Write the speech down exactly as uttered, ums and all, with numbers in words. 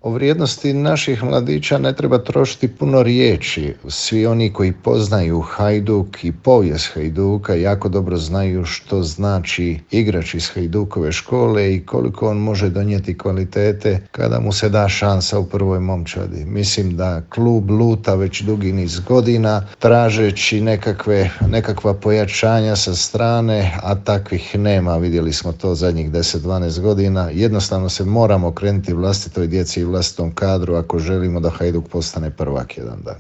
O vrijednosti naših mladića ne treba trošiti puno riječi. Svi oni koji poznaju Hajduk i povijest Hajduka jako dobro znaju što znači igrač iz Hajdukove škole i koliko on može donijeti kvalitete kada mu se da šansa u prvoj momčadi. Mislim da klub luta već dugi niz godina tražeći nekakve, nekakva pojačanja sa strane, a takvih nema. Vidjeli smo to zadnjih deset do dvanaest godina. Jednostavno se moramo okrenuti vlastitoj djeci i vlastitom kadru ako želimo da Hajduk postane prvak jedan dan.